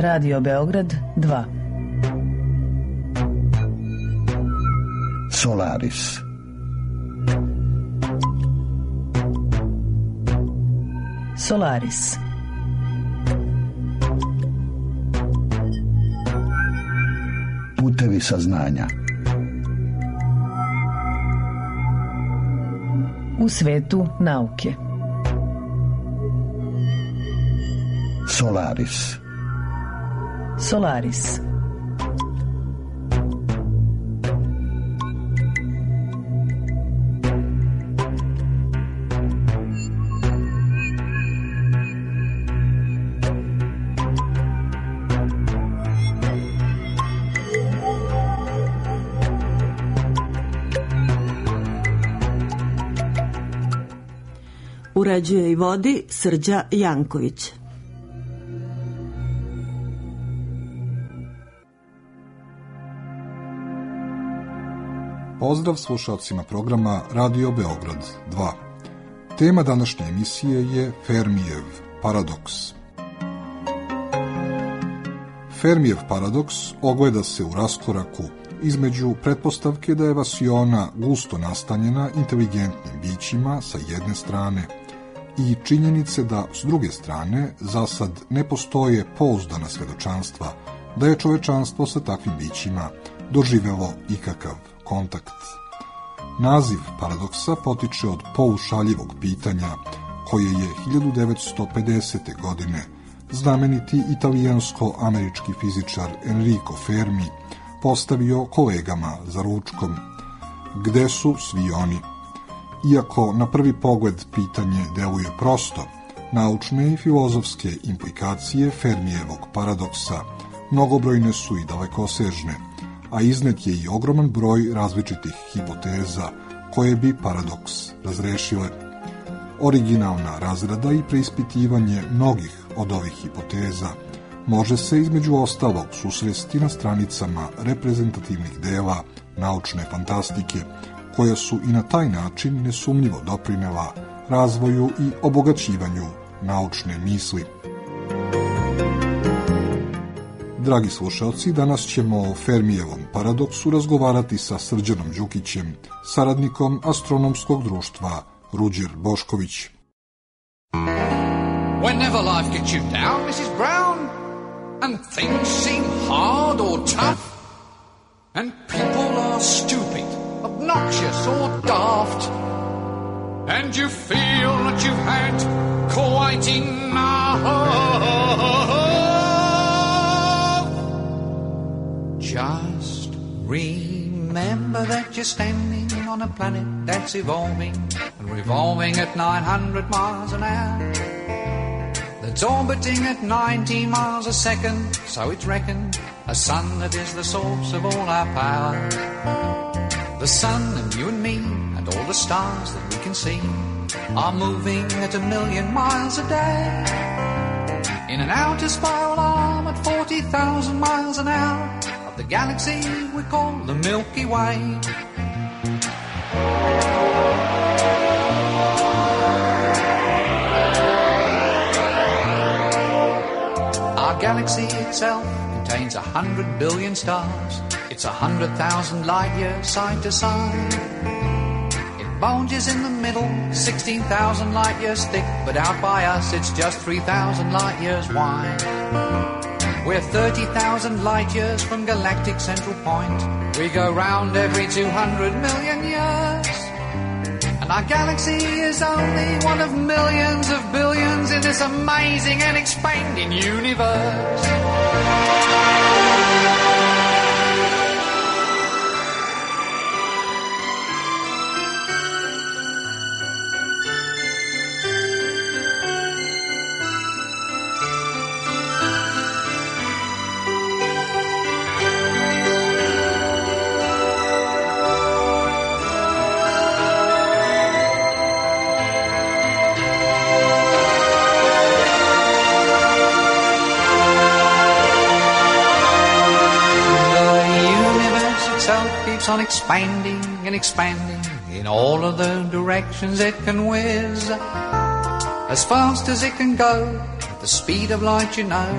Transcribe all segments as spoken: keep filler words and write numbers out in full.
Radio Beograd dva. Solaris. Solaris. Putevi saznanja. U svetu nauke. Solaris. Solaris. Uređuje i vodi Srđa Janković. Pozdrav slušalcima programa Radio Beograd dva. Tema današnje emisije je Fermijev paradoks. Fermijev paradoks ogleda se u raskoraku između pretpostavke da je vasiona gusto nastanjena inteligentnim bićima sa jedne strane i činjenice da s druge strane za sad ne postoje pouzdana svedočanstva da je čovečanstvo sa takvim bićima doživelo ikakav kontakt. Naziv paradoksa potiče od poušaljivog pitanja koje je hiljadu devetsto pedesete. godine znameniti italijansko-američki fizičar Enrico Fermi postavio kolegama za ručkom. Gde su svi oni? Iako na prvi pogled pitanje deluje prosto, naučne i filozofske implikacije Fermijevog paradoksa mnogobrojne su i dalekosežne, a iznet je i ogroman broj različitih hipoteza koje bi paradoks razrešile. Originalna razrada i preispitivanje mnogih od ovih hipoteza može se između ostalog susresti na stranicama reprezentativnih dela naučne fantastike, koja su i na taj način nesumnjivo doprinela razvoju i obogaćivanju naučne misli. Dragi slušalci, danas ćemo o Fermijevom paradoksu razgovarati sa Srđanom Đukićem, saradnikom Astronomskog društva Ruđer Bošković. Whenever life gets you down, Missus Brown, and things seem hard or tough, and people are stupid, obnoxious or daft, and you feel that you've had quite enough, just remember that you're standing on a planet that's evolving and revolving at nine hundred miles an hour, that's orbiting at ninety miles a second, so it's reckoned a sun that is the source of all our power. The sun and you and me and all the stars that we can see are moving at a million miles a day in an outer spiral arm at forty thousand miles an hour of the galaxy we call the Milky Way. Our galaxy itself contains a hundred billion stars. It's a hundred thousand light years side to side. It bulges in the middle, sixteen thousand light years thick, but out by us it's just three thousand light years wide. We're thirty thousand light years from galactic central point. We go round every two hundred million years. And our galaxy is only one of millions of billions in this amazing and expanding universe. On expanding and expanding in all of the directions it can whiz, as fast as it can go, at the speed of light, you know.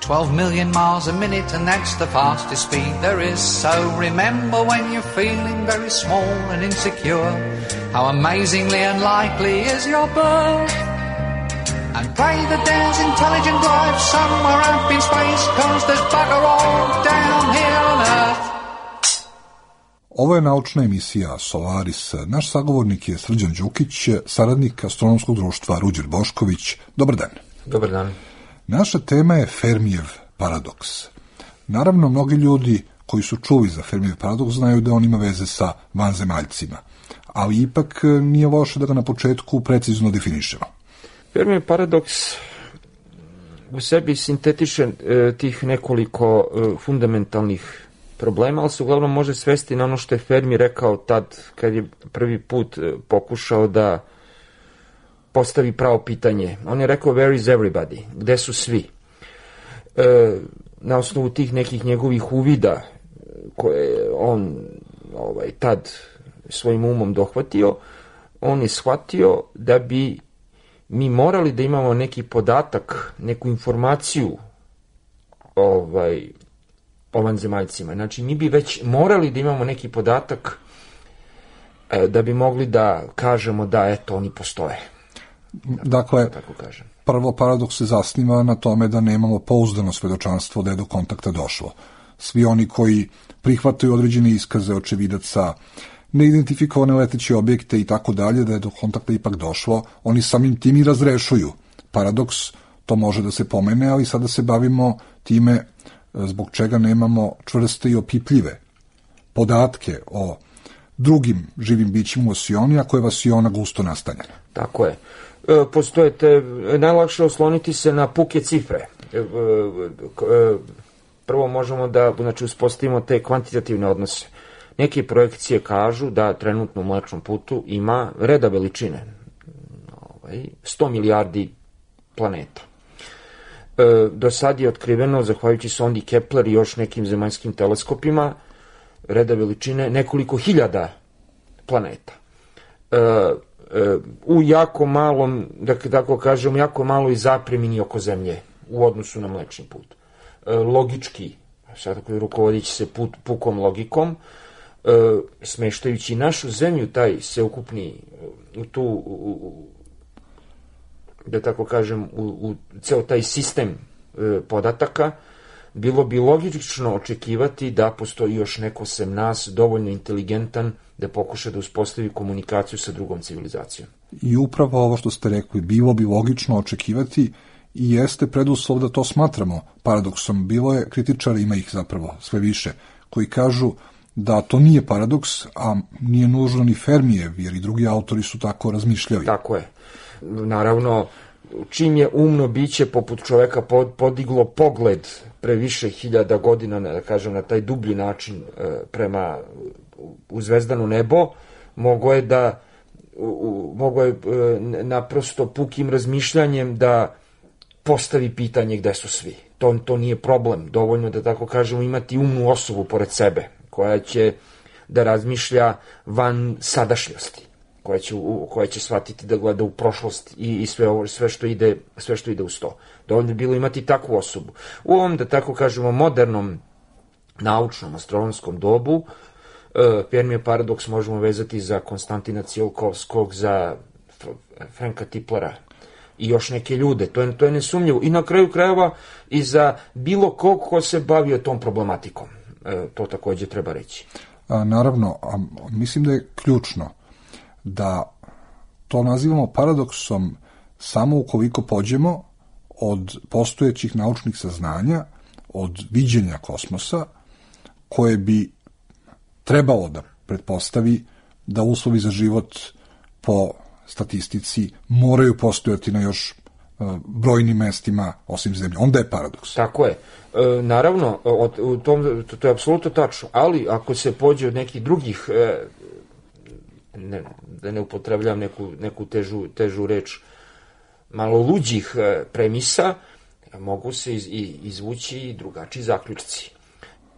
twelve million miles a minute, and that's the fastest speed there is. So remember when you're feeling very small and insecure, how amazingly unlikely is your birth. And pray that there's intelligent life somewhere up in space, 'cause there's bugger all down here on Earth. Ovo je naučna emisija Solaris. Naš sagovornik je Srđan Đukić, saradnik Astronomskog društva Ruđer Bošković. Dobar dan. Dobar dan. Naša tema je Fermijev paradoks. Naravno, mnogi ljudi koji su čuli za Fermijev paradoks znaju da on ima veze sa vanzemaljcima, ali ipak nije loše da ga na početku precizno definišemo. Fermijev paradoks u sebi sintetiše e, tih nekoliko e, fundamentalnih problema, ali se uglavnom može svesti na ono što je Fermi rekao tad kad je prvi put e, pokušao da postavi pravo pitanje. On je rekao where is everybody, gde su svi? E, na osnovu tih nekih njegovih uvida koje je on ovaj, tad svojim umom dohvatio, on je shvatio da bi mi morali da imamo neki podatak, neku informaciju ovaj, o vanzemaljcima. Znači, mi bi već morali da imamo neki podatak e, da bi mogli da kažemo da, eto, oni postoje. Dakle, tako kažem. Prvo paradoks se zasniva na tome da nemamo pouzdano svedočanstvo da je do kontakta došlo. Svi oni koji prihvataju određene iskaze očevidaca, neidentifikovane leteće objekte i tako dalje, da je do kontakta ipak došlo, oni samim tim i razrešuju paradoks. To može da se pomene, ali sada se bavimo time zbog čega nemamo čvrste i opipljive podatke o drugim živim bićima u vasioni, ako je vasiona gusto nastanjena. Tako je. E, postojete, najlakše osloniti se na puke cifre. E, e, prvo možemo da znači, uspostavimo te kvantitativne odnose. Neke projekcije kažu da trenutno u Mlečnom putu ima reda veličine. Ovaj, sto milijardi planeta. E, do sad je otkriveno, zahvaljujući sondi Kepler i još nekim zemaljskim teleskopima, reda veličine nekoliko hiljada planeta. E, e, u jako malom, da tako kažem, jako maloj zapremini oko Zemlje u odnosu na Mlečni put. E, logički, sad tako rukovodići se put, pukom logikom, e, smeštajući našu Zemlju, taj sveukupni, u tu, u, da tako kažem, u, u ceo taj sistem e, podataka, bilo bi logično očekivati da postoji još neko sem nas dovoljno inteligentan da pokuša da uspostavi komunikaciju sa drugom civilizacijom. I upravo ovo što ste rekli, bilo bi logično očekivati i jeste preduslov da to smatramo paradoksom. Bilo je kritičara, ima ih zapravo sve više, koji kažu da to nije paradoks, a nije nužno ni Fermijev, jer i drugi autori su tako razmišljali. Tako je. Naravno, čim je umno biće poput čoveka podiglo pogled pre više hiljada godina, da kažem, na taj dublji način prema u zvezdano nebo, mogo je da mogo je naprosto pukim razmišljanjem da postavi pitanje gde su svi. To, to nije problem. Dovoljno da tako kažemo imati umnu osobu pored sebe, koja će da razmišlja van sadašnjosti, koja će, koja će shvatiti da gleda u prošlost i, i sve, ovo, sve, što ide, sve što ide uz to. Dovoljno je bilo imati takvu osobu. U ovom, da tako kažemo, modernom naučnom astronomskom dobu, e, Fermijev paradoks možemo vezati za Konstantina Tsiolkovskog, za Franka Tiplera i još neke ljude. To je, to je nesumnjivo. I na kraju krajeva i za bilo kog ko se bavio tom problematikom. E, to takođe treba reći. A, naravno, a, mislim da je ključno da to nazivamo paradoksom samo ukoliko pođemo od postojećih naučnih saznanja, od viđenja kosmosa, koje bi trebalo da pretpostavi da uslovi za život po statistici moraju postojati na još uh, brojnim mestima osim Zemlje. Onda je paradoks. Tako je. E, naravno, od, u tom, to, to je apsolutno tačno, ali ako se pođe od nekih drugih, e, ne, da ne upotrebljam neku, neku težu, težu reč, malo luđih e, premisa, mogu se iz, izvući i drugačiji zaključci.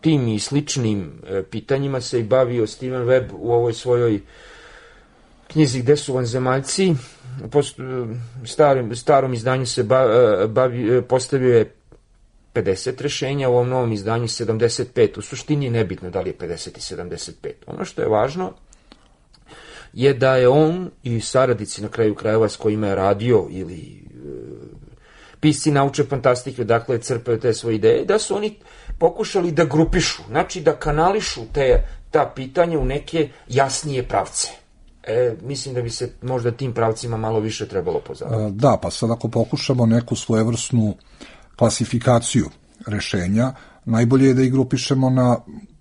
Tim i sličnim e, pitanjima se i bavio Steven Webb u ovoj svojoj knjizi Gde su vanzemaljci. Po starom, starom izdanju se bavi, postavio je pedeset rešenja, u ovom novom izdanju sedamdeset pet. U suštini je nebitno da li je pedeset i sedamdeset pet. Ono što je važno je da je on i saradnici na kraju krajeva s kojima je radio ili e, pisci naučne fantastike, dakle crpaju te svoje ideje, da su oni pokušali da grupišu, znači da kanališu te, ta pitanja u neke jasnije pravce. E, mislim da bi se možda tim pravcima malo više trebalo pozabaviti. Da, pa sad ako pokušamo neku svojevrsnu klasifikaciju rešenja, najbolje je da ih grupišemo na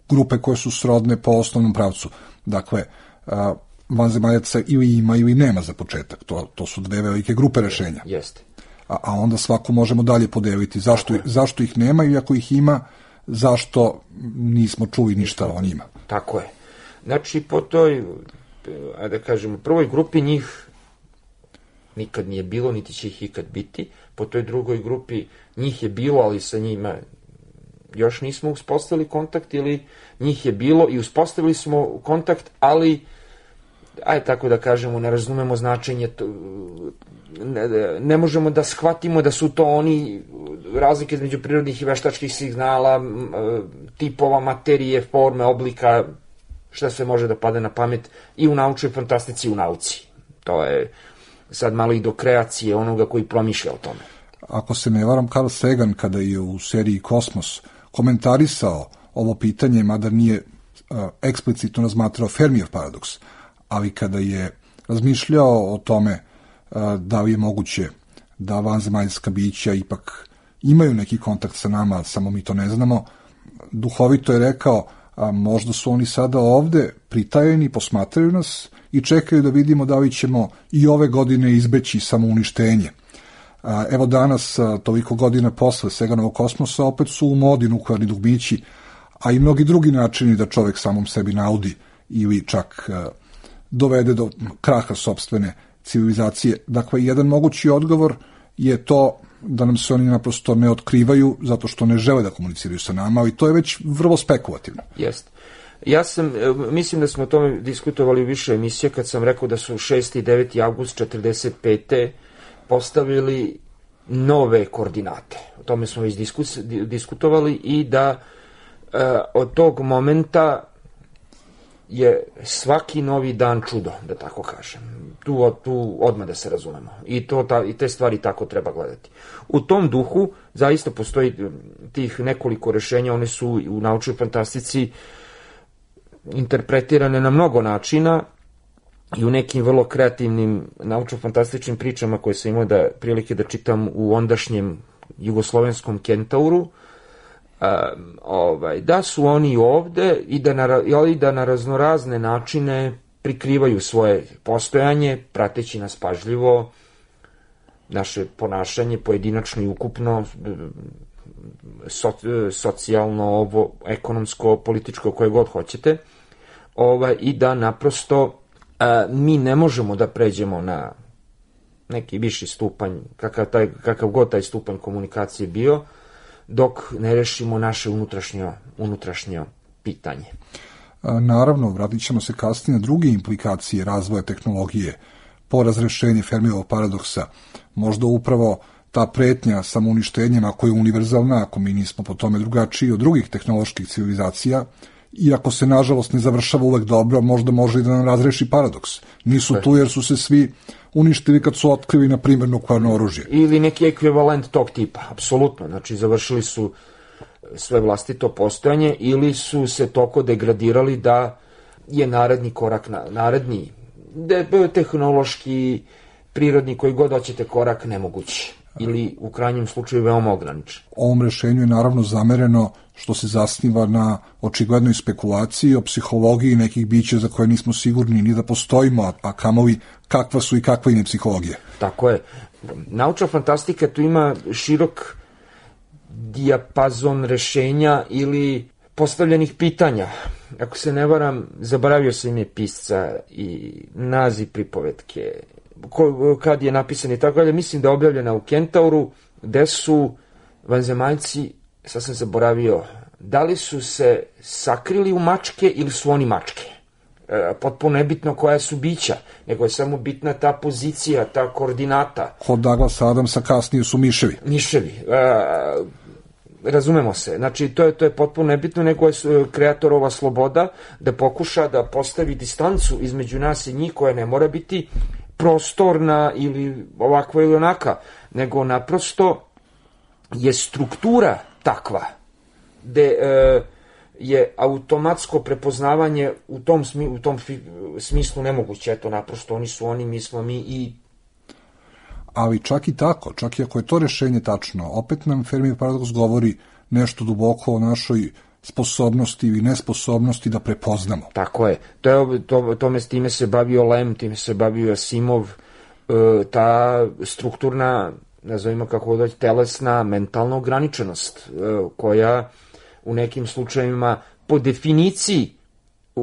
grupe koje su srodne po osnovnom pravcu. Dakle, vanzemaljaca ili ima ili nema za početak. To, to su dve velike grupe rešenja. Jeste. A, a onda svako možemo dalje podeliti. Zašto, zašto ih nema i ako ih ima, zašto nismo čuli ništa o njima. Tako je. Znači, po toj, da kažemo, prvoj grupi njih nikad nije bilo, niti će ih ikad biti. Po toj drugoj grupi njih je bilo, ali sa njima još nismo uspostavili kontakt, ili njih je bilo i uspostavili smo kontakt, ali aj tako da kažemo, ne razumemo značenje, to, ne, ne možemo da shvatimo da su to oni, razlike između prirodnih i veštačkih signala, tipova, materije, forme, oblika, šta sve može da pade na pamet i u naučnoj fantastici i u nauci. To je sad malo i do kreacije onoga koji promišlja o tome. Ako se ne varam, Carl Sagan, kada je u seriji Kosmos komentarisao ovo pitanje, mada nije uh, eksplicitno razmatrao Fermijev paradoks, ali kada je razmišljao o tome uh, da li je moguće da vanzemaljska bića ipak imaju neki kontakt sa nama, samo mi to ne znamo, duhovito je rekao, a možda su oni sada ovde pritajeni, posmatraju nas i čekaju da vidimo da li ćemo i ove godine izbeći samouništenje. Evo danas, toliko godina posle Saganovog Kosmosa, opet su u modi nuklearni dugmići, a i mnogi drugi načini da čovek samom sebi naudi ili čak dovede do kraha sopstvene civilizacije. Dakle, jedan mogući odgovor je to da nam se oni naprosto ne otkrivaju zato što ne žele da komuniciraju sa nama, ali to je već vrlo spekulativno. Jeste. Ja sam, mislim da smo o tome diskutovali u više emisija kad sam rekao da su šesti i deveti avgust četrdeset pete postavili nove koordinate. O tome smo već diskus, diskutovali i da e, od tog momenta je svaki novi dan čudo, da tako kažem. Tu, tu odmah da se razumemo. I, to, ta, i te stvari tako treba gledati. U tom duhu zaista postoji tih nekoliko rešenja, one su u naučnoj fantastici interpretirane na mnogo načina i u nekim vrlo kreativnim naučno-fantastičnim pričama koje sam imao da prilike da čitam u ondašnjem jugoslovenskom Kentauru, a, ovaj, da su oni ovde i da na, i da na raznorazne načine prikrivaju svoje postojanje, prateći nas pažljivo, naše ponašanje pojedinačno i ukupno, so, socijalno, ovo, ekonomsko, političko, koje god hoćete, ovaj, i da naprosto a, mi ne možemo da pređemo na neki viši stupanj, kakav, taj, kakav god taj stupanj komunikacije bio, dok ne rešimo naše unutrašnje, unutrašnje pitanje. Naravno, vratit ćemo se kasnije na druge implikacije razvoja tehnologije po razrešenje Fermijevog paradoksa. Možda upravo ta pretnja samouništenjem, ako je univerzalna, ako mi nismo po tome drugačiji od drugih tehnoloških civilizacija, i ako se nažalost ne završava uvek dobro, možda može i da nam razreši paradoks. Nisu tu jer su se svi uništili kad su otkrili, na primjer, nuklearno oružje. Ili neki ekvivalent tog tipa, apsolutno. Znači, završili su sve vlastito postojanje ili su se toko degradirali da je naredni korak, na, naredni de, tehnološki, prirodni, koji god hoćete korak, nemogući. Ili u krajnjem slučaju veoma ograničen. Ovom rešenju je naravno zamereno što se zasniva na očiglednoj spekulaciji o psihologiji nekih bića za koje nismo sigurni ni da postojimo, a, a kamovi kakva su i kakva im je psihologija. Tako je. Naučna fantastika tu ima širok dijapazon rešenja ili postavljenih pitanja. Ako se ne varam, zaboravio sam ime pisca i naziv pripovetke, ko, kad je napisan i tako dalje, mislim da je objavljena u Kentauru, gde su vanzemaljci, sad sam zaboravio, da li su se sakrili u mačke ili su oni mačke. E, potpuno nebitno koja su bića, nego je samo bitna ta pozicija, ta koordinata. Kod Douglasa Adamsa kasnije su miševi. Miševi. E, razumemo se, znači to je, to je potpuno nebitno, nego je kreatorova sloboda da pokuša da postavi distancu između nas i njih koja ne mora biti prostorna ili ovakva ili onaka, nego naprosto je struktura takva gde e, je automatsko prepoznavanje u tom, smi, u tom fi, smislu nemoguće, eto naprosto oni su oni, mi smo mi i ali čak i tako, čak i ako je to rešenje tačno, opet nam Fermijev paradoks govori nešto duboko o našoj sposobnosti ili nesposobnosti da prepoznamo. Tako je. To je to, tome, time se bavio Lem, time se bavio Asimov, e, ta strukturna, nazovimo kako doći, telesna, mentalna ograničenost, e, koja u nekim slučajevima po definiciji e,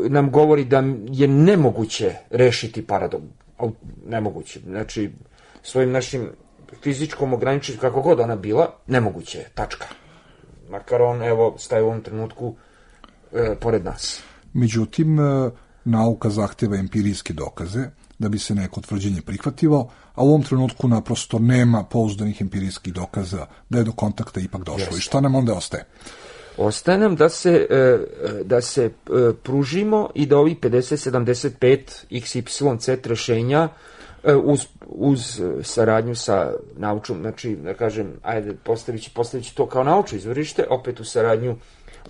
nam govori da je nemoguće rešiti paradoks. Nemoguće. Znači, svojim našim fizičkom ograničenjem, kako god ona bila, nemoguće je, tačka. Makar on, evo, staje u ovom trenutku e, pored nas. Međutim, e, nauka zahteva empirijske dokaze da bi se neko tvrđenje prihvatilo, a u ovom trenutku naprosto nema pouzdanih empirijskih dokaza da je do kontakta ipak došlo. Yes. I šta nam onda ostaje? Ostaje nam da se, e, da se e, pružimo i da ovi pedeset sedamdeset pet iks ipsilon zet rešenja Uz, uz saradnju sa naučom, znači, da kažem, ajde, postavići, postavići to kao naučno izvorište, opet u saradnju,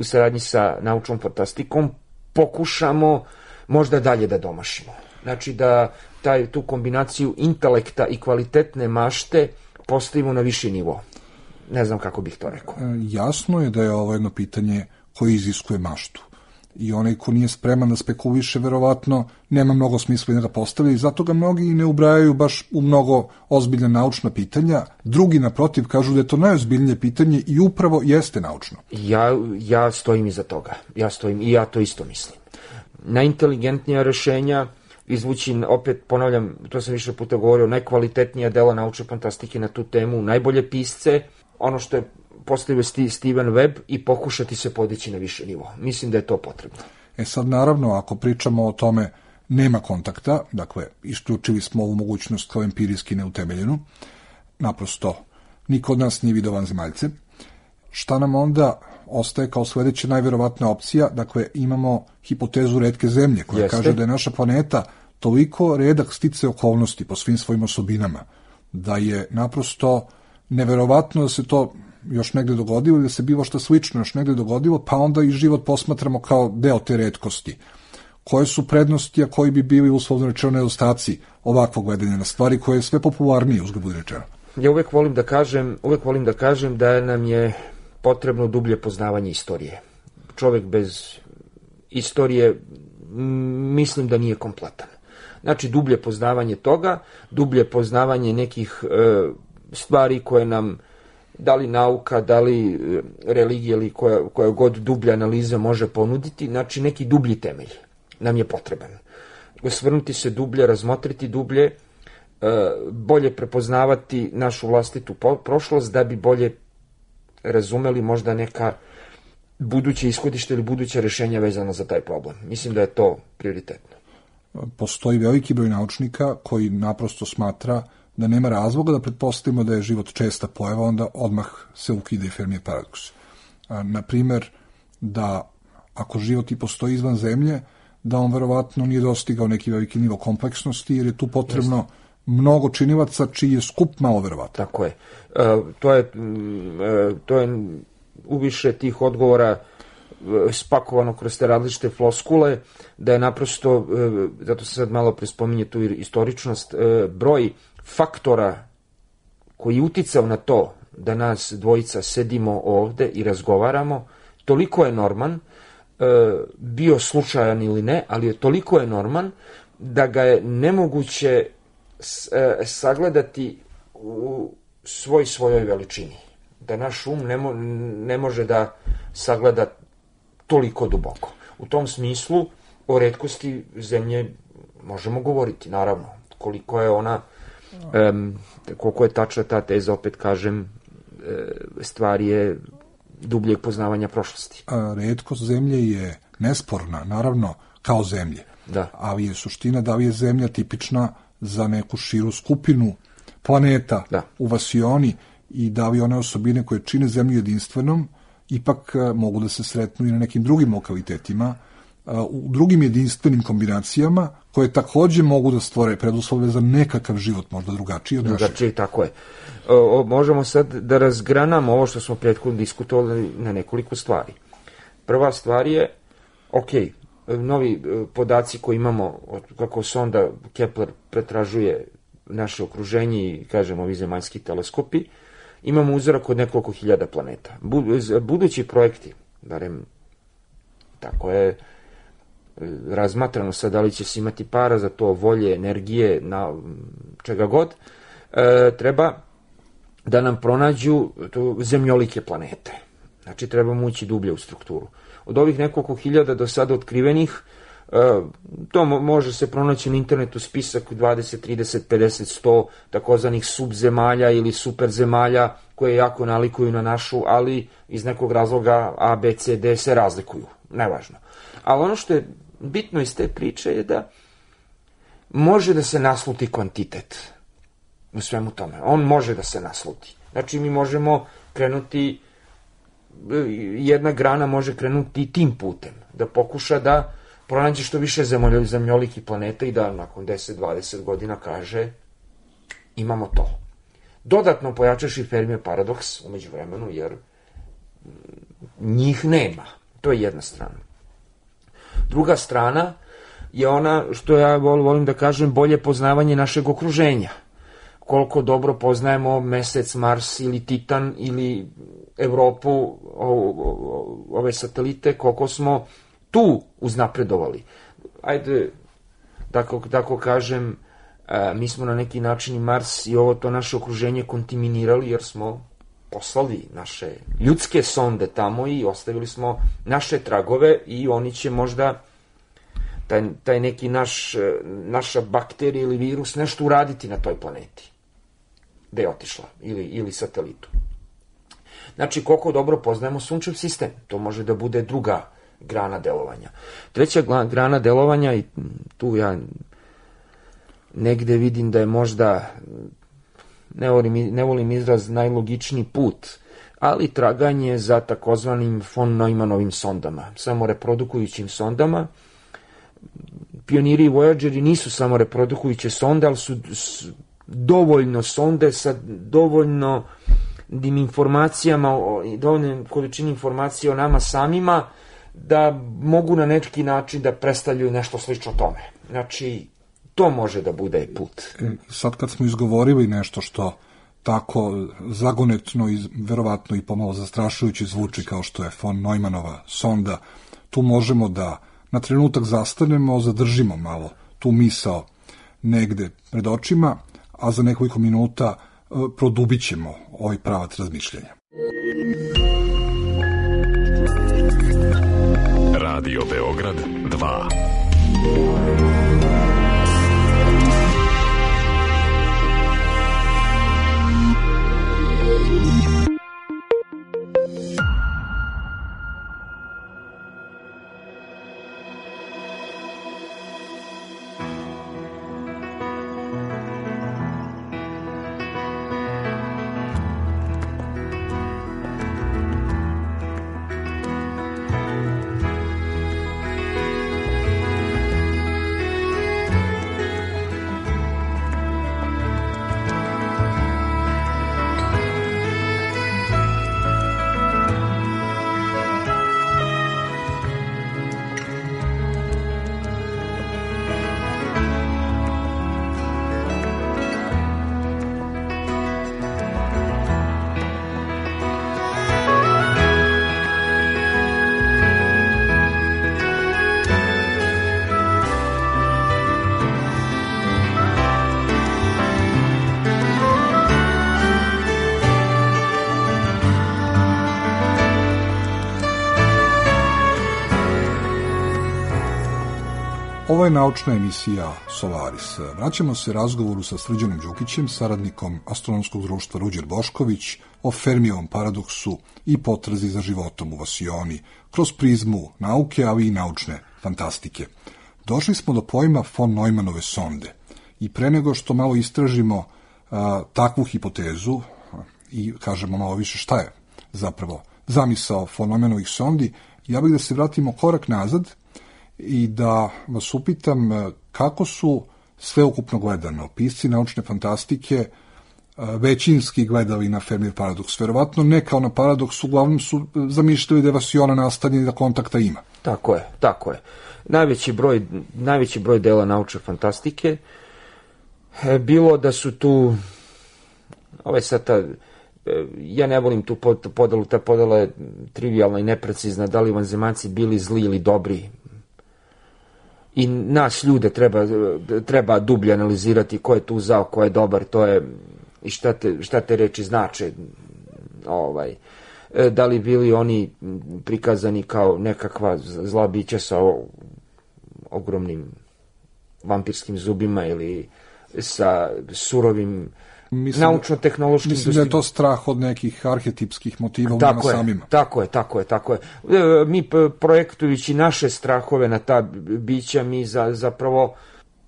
u saradnji sa naučnom fantastikom, pokušamo možda dalje da domašimo. Znači, da taj, tu kombinaciju intelekta i kvalitetne mašte postavimo na viši nivo. Ne znam kako bih to rekao. Jasno je da je ovo jedno pitanje koje iziskuje maštu. I onaj ko nije spreman da spekuliše, verovatno nema mnogo smisla i da ga postavlja i zato ga mnogi ne ubrajaju baš u mnogo ozbiljna naučna pitanja. Drugi, naprotiv, kažu da je to najozbiljnije pitanje i upravo jeste naučno. Ja, ja stojim iza toga. Ja stojim i ja to isto mislim. Najinteligentnija rešenja izvući, opet ponavljam, to sam više puta govorio, najkvalitetnija dela naučne fantastike na tu temu, najbolje pisce, ono što je postavio Steven Webb i pokušati se podići na više nivo. Mislim da je to potrebno. E sad, naravno, ako pričamo o tome nema kontakta, dakle, isključili smo ovu mogućnost kao empirijski neutemeljenu, naprosto, niko od nas nije video vanzemaljce. Šta nam onda ostaje kao sledeća najverovatna opcija? Dakle, imamo hipotezu retke zemlje, koja Jeste. kaže da je naša planeta toliko redak stice okolnosti po svim svojim osobinama, da je naprosto neverovatno da se to još negde dogodilo ili da se bilo što slično još negde dogodilo, pa onda i život posmatramo kao deo te retkosti. Koje su prednosti, a koji bi bili uslovno rečeno nedostaci ovakvog gledanja na stvari koje je sve popularnije, uzgled budi rečeno? Ja uvek volim da kažem, uvek volim da kažem da nam je potrebno dublje poznavanje istorije. Čovek bez istorije mislim da nije kompletan. Znači, dublje poznavanje toga, dublje poznavanje nekih e, stvari koje nam da li nauka, da li religija ili koja, koja god dublja analiza može ponuditi, znači neki dublji temelj nam je potreban. Osvrnuti se dublje, razmotriti dublje, bolje prepoznavati našu vlastitu prošlost da bi bolje razumeli možda neka buduće ishodište ili buduće rešenja vezano za taj problem. Mislim da je to prioritetno. Postoji veliki broj naučnika koji naprosto smatra da nema razloga da pretpostavimo da je život česta pojava, onda odmah se ukida i Fermijev paradoks. Naprimer, da ako život i postoji izvan zemlje, da on verovatno nije dostigao neki veliki nivo kompleksnosti, jer je tu potrebno Jeste. mnogo činilaca čiji je skup malo verovatno. Tako je. E, to je, e, to je u više tih odgovora spakovano kroz te različite floskule, da je naprosto, e, zato se sad malo prespominje tu istoričnost, e, broj faktora koji je uticao na to da nas dvojica sedimo ovde i razgovaramo, toliko je norman, e, bio slučajan ili ne, ali je toliko je norman da ga je nemoguće s, e, sagledati u svoj svojoj veličini. Da naš um ne, mo, ne može da sagleda toliko duboko. U tom smislu o retkosti zemlje možemo govoriti, naravno, koliko je ona Um, koliko je tačna ta teza, opet kažem, stvar je dubljeg poznavanja prošlosti. A, retkost zemlje je nesporna, naravno, kao zemlje. Da. Ali je suština da li je zemlja tipična za neku širu skupinu planeta da. u vasioni i da li one osobine koje čine zemlju jedinstvenom ipak mogu da se sretnu i na nekim drugim lokalitetima, u drugim jedinstvenim kombinacijama koje takođe mogu da stvore preduslove za nekakav život, možda drugačiji od našeg. Drugačiji, tako je. O, možemo sad da razgranamo ovo što smo prethodno diskutovali na nekoliko stvari. Prva stvar je, ok, novi podaci koji imamo, kako sonda Kepler pretražuje naše okruženje i, kažemo, ovi zemaljski teleskopi, imamo uzorak od nekoliko hiljada planeta. Budući projekti, barem tako je razmatrano sad, da li će se imati para za to, volje, energije, na čega god, e, treba da nam pronađu to, zemljolike planete. Znači, trebamo ući dublje u strukturu. Od ovih nekoliko hiljada do sada otkrivenih, e, to mo- može se pronaći na internetu spisak dvadeset, trideset, pedeset, sto takozvanih subzemalja ili superzemalja koje jako nalikuju na našu, ali iz nekog razloga A, B, C, D se razlikuju. Nevažno. Ali ono što je bitno iz te priče je da može da se nasluti kvantitet u svemu tome. On može da se nasluti. Znači, mi možemo krenuti, jedna grana može krenuti tim putem, da pokuša da pronađe što više zemljolikih planeta i da nakon deset do dvadeset godina kaže imamo to. Dodatno pojačaš i Fermijev paradoks umeđu vremenu, jer njih nema. To je jedna strana. Druga strana je ona što ja volim da kažem, bolje poznavanje našeg okruženja. Koliko dobro poznajemo Mesec, Mars ili Titan ili Evropu, ove satelite, koliko smo tu uznapredovali. Ajde, tako, tako kažem, mi smo na neki način i Mars i ovo to naše okruženje kontaminirali, jer smo poslali naše ljudske sonde tamo i ostavili smo naše tragove i oni će možda taj, taj neki naš, naša bakterija ili virus nešto uraditi na toj planeti gde je otišla ili, ili satelitu. Znači, koliko dobro poznajemo sunčev sistem, to može da bude druga grana delovanja. Treća grana delovanja, i tu ja negde vidim da je možda, ne volim, ne volim izraz najlogičniji put, ali traganje za takozvanim von Neumannovim sondama, samo reprodukujućim sondama. Pioniri i Voyageri nisu samo reprodukujuće sonde, ali su dovoljno sonde sa dovoljno informacijama, dovoljno količini informacija o nama samima, da mogu na neki način da predstavljaju nešto slično tome. Znači, to može da bude put. Sad kad smo izgovorili nešto što tako zagonetno i verovatno i pomalo zastrašujući zvuči kao što je von Neumannova sonda, tu možemo da na trenutak zastanemo, zadržimo malo tu misao negde pred očima, a za nekoliko minuta produbit ćemo ovaj pravac razmišljanja. Radio Beograd dva. Ovo je naučna emisija Solaris. Vraćamo se razgovoru sa Srđanom Đukićem, saradnikom Astronomskog društva Ruđer Bošković, o Fermijevom paradoksu i potrazi za životom u Vasioni, kroz prizmu nauke, ali i naučne fantastike. Došli smo do pojma von Neumannove sonde i pre nego što malo istražimo a, takvu hipotezu i kažemo malo više šta je zapravo zamisao Folomenovih sondi, ja bih da se vratimo korak nazad i da vas upitam kako su sveukupno gledano pisci naučne fantastike većinski gledali na Fermijev paradoks. Verovatno ne kao na paradoks, uglavnom su zamišljali da je Vasiona nastavljen i da kontakta ima. Tako je, tako je. Najveći broj, najveći broj dela naučne fantastike je bilo da su tu, ovaj sad ta, ja ne volim tu podelu, ta podela je trivialna i neprecizna, da li vanzemaljci bili zli ili dobri. I nas ljude treba, treba dublje analizirati ko je tu zao, ko je dobar, to je i šta te, šta te reči znače. Ovaj, da li bili oni prikazani kao nekakva zla bića sa ogromnim vampirskim zubima ili sa surovim naučno-tehnološkim... Mislim da je to strah od nekih arhetipskih motiva u nama samima. Tako je, tako je, tako je. Mi projektujući naše strahove na ta bića, mi za, zapravo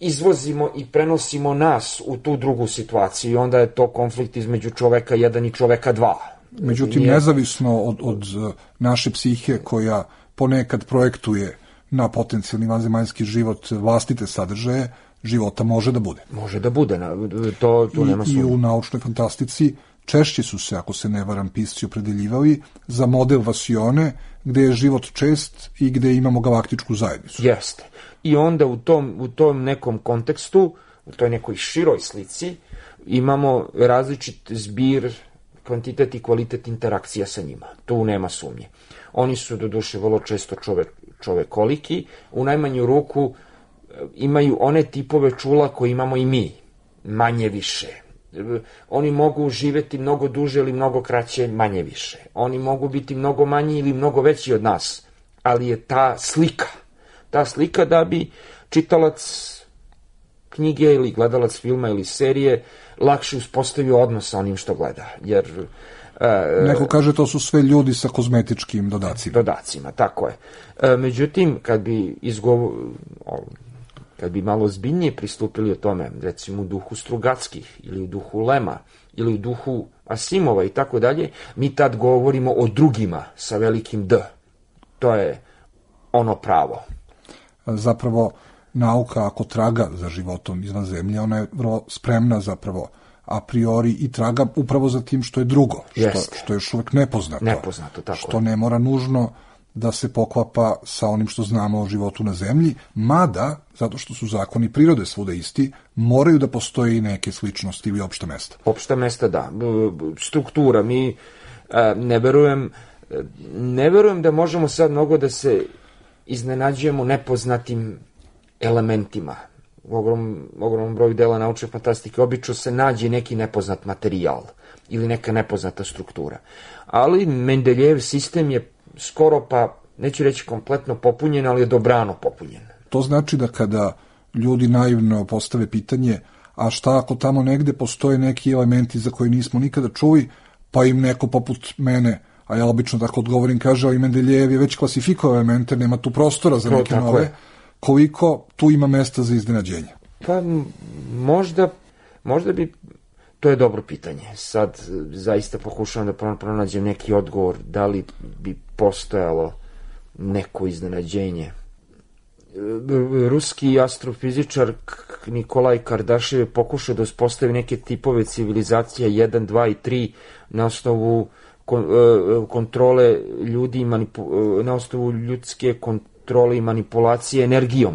izvozimo i prenosimo nas u tu drugu situaciju i onda je to konflikt između čoveka jedan i čoveka dva. Međutim, Nije... nezavisno od, od naše psihe koja ponekad projektuje na potencijalni vanzemaljski život vlastite sadržaje, života može da bude. Može da bude, to, to nema sumnje. I u naučnoj fantastici češće su se, ako se ne varam, pisci opredeljivali za model Vasione, gde je život čest i gde imamo galaktičku zajednicu. Jeste. I onda u tom, u tom nekom kontekstu, u toj nekoj široj slici, imamo različit zbir, kvantitet i kvalitet interakcija sa njima. Tu nema sumnje. Oni su doduše vrlo često čovek, čovekoliki, u najmanju ruku imaju one tipove čula koje imamo i mi, manje više. Oni mogu živeti mnogo duže ili mnogo kraće, manje više. Oni mogu biti mnogo manji ili mnogo veći od nas, ali je ta slika, ta slika da bi čitalac knjige ili gledalac filma ili serije lakše uspostavio odnos sa onim što gleda, jer... E, Neko kaže to su sve ljudi sa kozmetičkim dodacima. Dodacima, tako je. E, međutim, kad bi izgovo... kad bi malo zbiljnije pristupili o tome, recimo u duhu Strugatskih ili u duhu Lema ili u duhu Asimova i tako dalje, mi tad govorimo o drugima sa velikim D. To je ono pravo. Zapravo, nauka ako traga za životom izvan zemlje, ona je vrlo spremna zapravo a priori i traga upravo za tim što je drugo, što, što je još uvek nepoznato. Nepoznato, tako što ne mora nužno da se poklapa sa onim što znamo o životu na zemlji, mada, zato što su zakoni prirode svuda isti, moraju da postoje i neke sličnosti ili opšta mesta. Opšta mesta, da. Struktura. Mi ne verujem, ne verujem da možemo sad mnogo da se iznenađujemo nepoznatim elementima. U ogrom, ogromnom broju dela naučne fantastike obično se nađe neki nepoznat materijal ili neka nepoznata struktura. Ali Mendeljev sistem je skoro pa, neću reći kompletno popunjen, ali je dobrano popunjen. To znači da kada ljudi naivno postave pitanje, a šta ako tamo negde postoje neki elementi za koje nismo nikada čuli, pa im neko poput mene, a ja obično tako odgovorim, kaže, ali Mendeljev je već klasifikovao elemente, nema tu prostora za neke nove, je. Koliko tu ima mesta za iznenađenje? Pa možda, možda bi, to je dobro pitanje. Sad zaista pokušavam da pronađem neki odgovor, da li bi postojalo neko iznenađenje. Ruski astrofizičar Nikolaj Kardašev je pokušao da uspostavi neke tipove civilizacija jedan, dva i tri na osnovu kontrole ljudi, na osnovu ljudske kontrole i manipulacije energijom.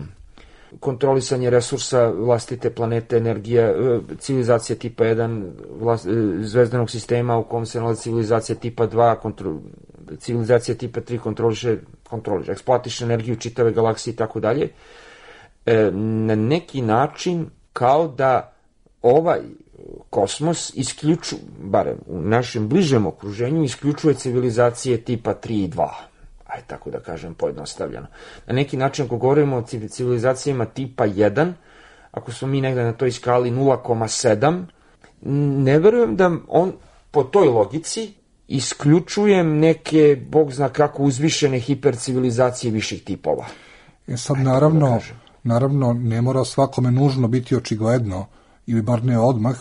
Kontrolisanje resursa vlastite planete, energija, civilizacija tipa jedan, vlast, zvezdanog sistema u kom se nalazi civilizacija tipa dva, kontro, civilizacija tipa tri kontroliše, kontroliše, eksploatiše energiju čitave galaksije i tako dalje. Na neki način kao da ovaj kosmos isključuje, barem u našem bližem okruženju, isključuje civilizacije tipa tri i dva. Ajde tako da kažem pojednostavljeno. Na neki način ako govorimo o civilizacijama tipa jedan, ako smo mi negde na toj skali nula zarez sedam, ne verujem da on po toj logici isključujem neke, bog zna kako, uzvišene hipercivilizacije viših tipova. E sad Ajde naravno, da naravno ne mora svakome nužno biti očigledno, ili bar ne odmah,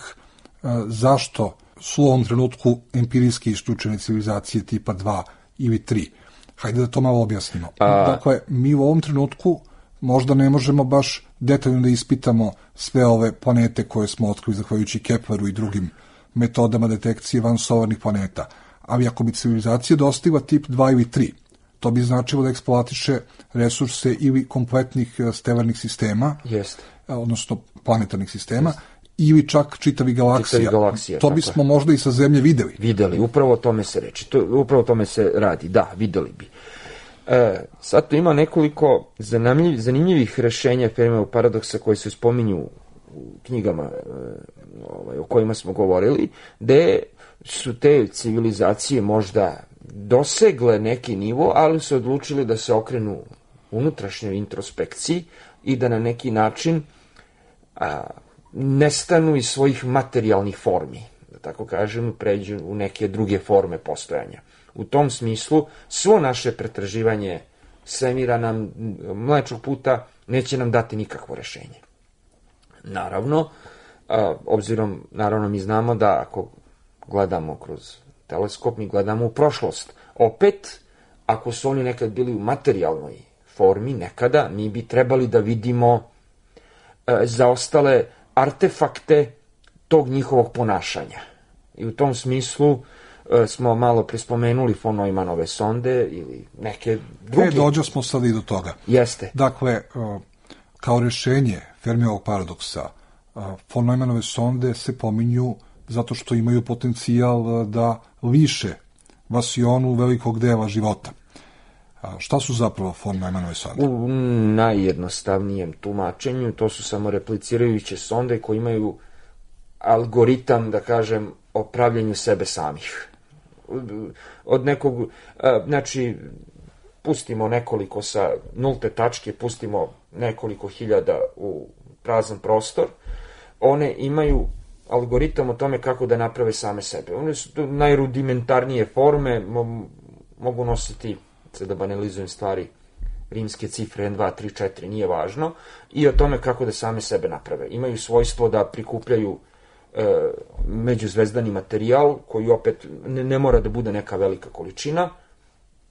zašto su u ovom trenutku empirijski isključene civilizacije tipa dva ili tri. Hajde da to malo objasnimo. A... Dakle, mi u ovom trenutku možda ne možemo baš detaljno da ispitamo sve ove planete koje smo otkrili zahvaljujući Kepleru i drugim metodama detekcije vansolarnih planeta. Ali ako bi civilizacija dostigla tip dva ili tri, to bi značilo da eksploatiše resurse ili kompletnih stelarnih sistema, Jeste. odnosno planetarnih sistema, Jeste. ili čak čitavi galaksija. Čitavi galaksija to bismo je. možda i sa Zemlje videli. Videli, upravo o tome se reči. To, upravo o tome se radi, da, videli bi. E, sad tu ima nekoliko zanimljiv, zanimljivih rešenja Fermijevog paradoksa koji se spominju u knjigama e, ovaj, o kojima smo govorili, gde su te civilizacije možda dosegle neki nivo, ali su odlučili da se okrenu unutrašnjoj introspekciji i da na neki način a, nestanu iz svojih materijalnih formi, da tako kažem, pređu u neke druge forme postojanja. U tom smislu, svo naše pretraživanje svemira nam, Mlečnog puta, neće nam dati nikakvo rešenje. Naravno, a, obzirom, naravno mi znamo da ako gledamo kroz teleskop, mi gledamo u prošlost. Opet, ako su oni nekad bili u materijalnoj formi, nekada, mi bi trebali da vidimo e, zaostale artefakte tog njihovog ponašanja. I u tom smislu e, smo malo prispomenuli von Neumannove sonde ili neke druge. E, dođo smo sad i do toga. Jeste. Dakle, kao rešenje Fermijevog paradoksa, von Neumannove sonde se pominju zato što imaju potencijal da liše vasionu velikog dela života. A šta su zapravo von Neumannove sonde? U najjednostavnijem tumačenju to su samo replicirajuće sonde koje imaju algoritam, da kažem, o pravljenju sebe samih. Od nekog, znači, pustimo nekoliko sa nulte tačke, pustimo nekoliko hiljada u prazan prostor, one imaju algoritam o tome kako da naprave same sebe. One su najrudimentarnije forme, mo, mogu nositi, sad da banalizujem stvari, rimske cifre jedan, dva, tri, četiri, nije važno, i o tome kako da same sebe naprave. Imaju svojstvo da prikupljaju e, međuzvezdani materijal, koji opet ne, ne mora da bude neka velika količina,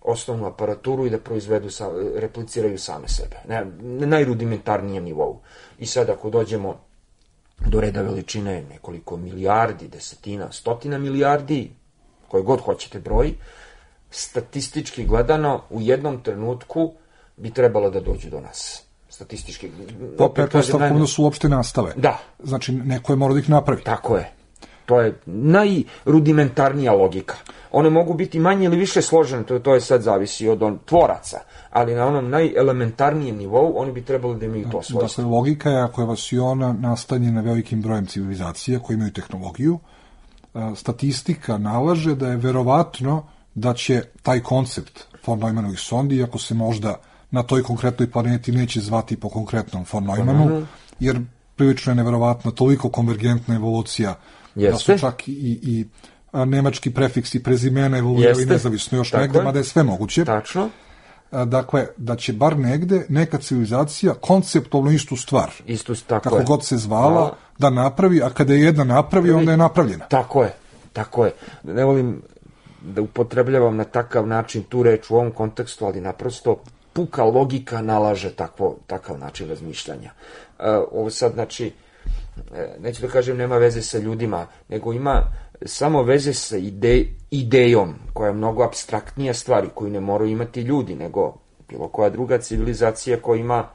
osnovnu aparaturu i da proizvedu, sa, repliciraju same sebe. Ne, na najrudimentarnijem nivou. I sad ako dođemo do reda veličine nekoliko milijardi, desetina, stotina milijardi, koje god hoćete broj, statistički gledano u jednom trenutku bi trebalo da dođu do nas. Statistički. Po pretpostavkom da su uopšte nastave. Da. Znači, neko je morao da ih napravi. Tako je. To je najrudimentarnija logika. One mogu biti manje ili više složene, to, to je sad zavisi od on, tvoraca, ali na onom najelementarnijem nivou oni bi trebali da imaju to svojstvo. Dakle, logika je, ako je vasiona nastanjena velikim brojem civilizacija koji imaju tehnologiju, statistika nalaže da je verovatno da će taj koncept von Neumannovih sondi, ako se možda na toj konkretnoj planeti neće zvati po konkretnom von Neumannu, jer prilično je neverovatno toliko konvergentna evolucija. Jeste. Da su čak i, i a, nemački prefiksi prezimena evoluirali nezavisno još negde, mada je sve moguće. Tačno. A, dakle, da će bar negde neka civilizacija konceptualno istu stvar, istu, tako kako je. god se zvala, a, da napravi, a kada je jedna napravi, onda je napravljena. Tako je, tako je. Ne volim da upotrebljavam na takav način tu reč u ovom kontekstu, ali naprosto puka logika nalaže takvo, takav način razmišljanja. A, ovo sad, znači, neću da kažem nema veze sa ljudima, nego ima samo veze sa ide, idejom, koja je mnogo apstraktnija stvar i koju ne moraju imati ljudi, nego bilo koja druga civilizacija koja ima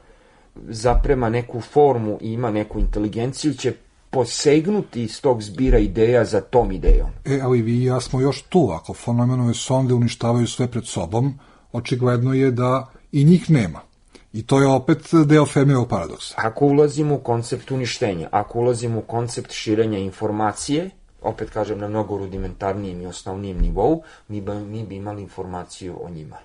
zaprema neku formu i ima neku inteligenciju, će posegnuti iz tog zbira ideja za tom idejom. E, ali vi i ja smo još tu, ako von Neumannove sonde uništavaju sve pred sobom, očigledno je da i njih nema. I to je opet deo Fermijevog paradoksa. Ako ulazimo u koncept uništenja, ako ulazimo u koncept širenja informacije, opet kažem na mnogo rudimentarnijem i osnovnijem nivou, mi bi, mi bi imali informaciju o njima.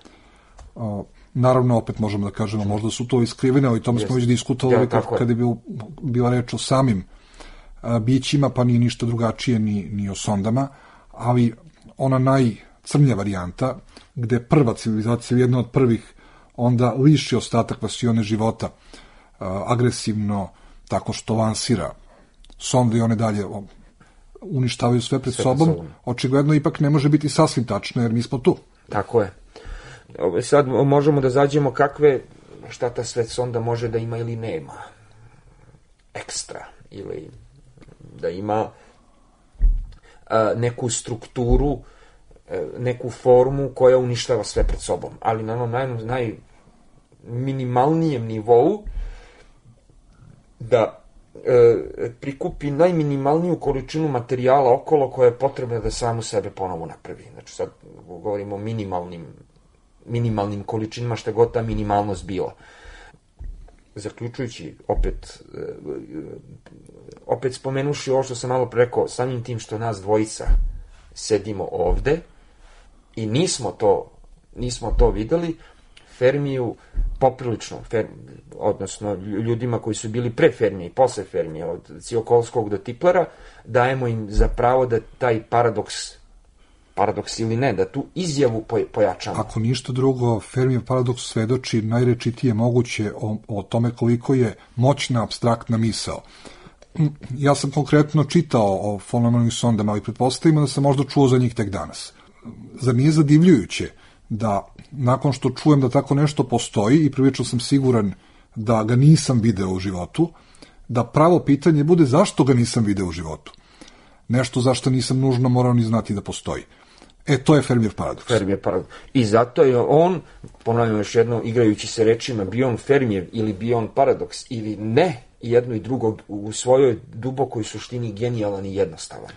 O, naravno, opet možemo da kažemo, možda su to iskrivene, ali tome smo već diskutovali ja, kada je bil, bila reč o samim a, bićima, pa nije ništa drugačije ni, ni o sondama, ali ona najcrnja varijanta, gde prva civilizacija, jedna od prvih, onda liši ostatak vasione života uh, agresivno, tako što lansira sonde i one dalje uništavaju sve pred sve sobom, pred sobom, očigledno ipak ne može biti sasvim tačno, jer mi smo tu. Tako je. Sad možemo da zađemo kakve, šta ta svet sonda može da ima ili nema. Ekstra. Ili da ima a, neku strukturu, a, neku formu koja uništava sve pred sobom. Ali na onom naj, najminimalnijem nivou da e, prikupi najminimalniju količinu materijala okolo koja je potrebna da samu sebe ponovo napravi. Znači sad govorimo o minimalnim, minimalnim količinama, šta god ta minimalnost bila. Zaključujući, opet, e, opet spomenuši ovo što sam malo rekao, samim tim što nas dvojica sedimo ovde i nismo to, nismo to videli, Fermiju poprilično, fer, odnosno ljudima koji su bili pre Fermije i posle Fermije, od Tsiolkovskog do Tiplera, dajemo im za pravo da taj paradoks, paradoks ili ne, da tu izjavu pojačamo. Ako ništa drugo, Fermijev paradoks svedoči najrečitije moguće o, o tome koliko je moćna apstraktna misao. Ja sam konkretno čitao o fenomenovim sondama, ali pretpostavimo da sam možda čuo za njih tek danas. Zar nije zadivljujuće da nakon što čujem da tako nešto postoji i prilično sam siguran da ga nisam video u životu, da pravo pitanje bude zašto ga nisam video u životu. Nešto zašto nisam nužno morao ni znati da postoji. E, to je Fermijev paradoks. Fermijev paradoks. I zato je on, ponavljam još jedno, igrajući se rečima, bio on Fermijev ili bio on paradoks ili ne, jedno i drugo u svojoj dubokoj suštini genijalan i jednostavan.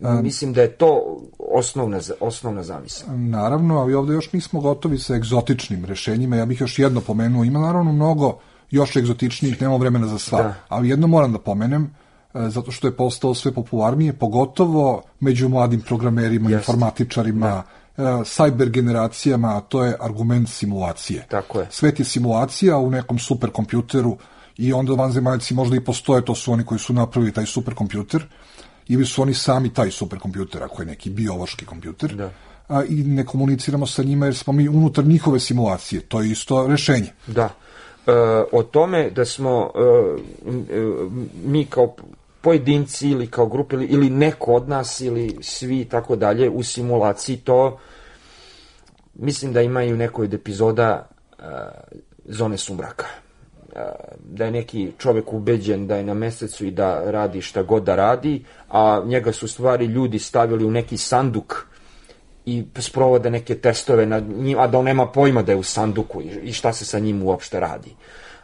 Um, Mislim da je to osnovna, osnovna zamisla. Naravno, ali ovde još nismo gotovi sa egzotičnim rešenjima. Ja bih još jedno pomenuo. Ima naravno mnogo još egzotičnijih, nemamo vremena za sva. Da. Ali jedno moram da pomenem, zato što je postao sve popularnije, pogotovo među mladim programerima, Just. informatičarima, da. cyber generacijama, a to je argument simulacije. Tako je. Svet je simulacija u nekom superkompjuteru i onda vanzemaljci možda i postoje, to su oni koji su napravili taj superkompjuter, ili su oni sami taj superkompjuter, ako je neki biološki kompjuter, da. a, i ne komuniciramo sa njima jer smo mi unutar njihove simulacije. To je isto rešenje. Da. E, o tome da smo e, mi kao pojedinci ili kao grupe ili, ili neko od nas ili svi tako dalje u simulaciji, to mislim da ima i u nekoj od epizoda e, Zone sumraka. Da je neki čovjek ubeđen da je na mesecu i da radi šta god da radi, a njega su stvari ljudi stavili u neki sanduk i sprovode neke testove na njim, a da on nema pojma da je u sanduku i šta se sa njim uopšte radi.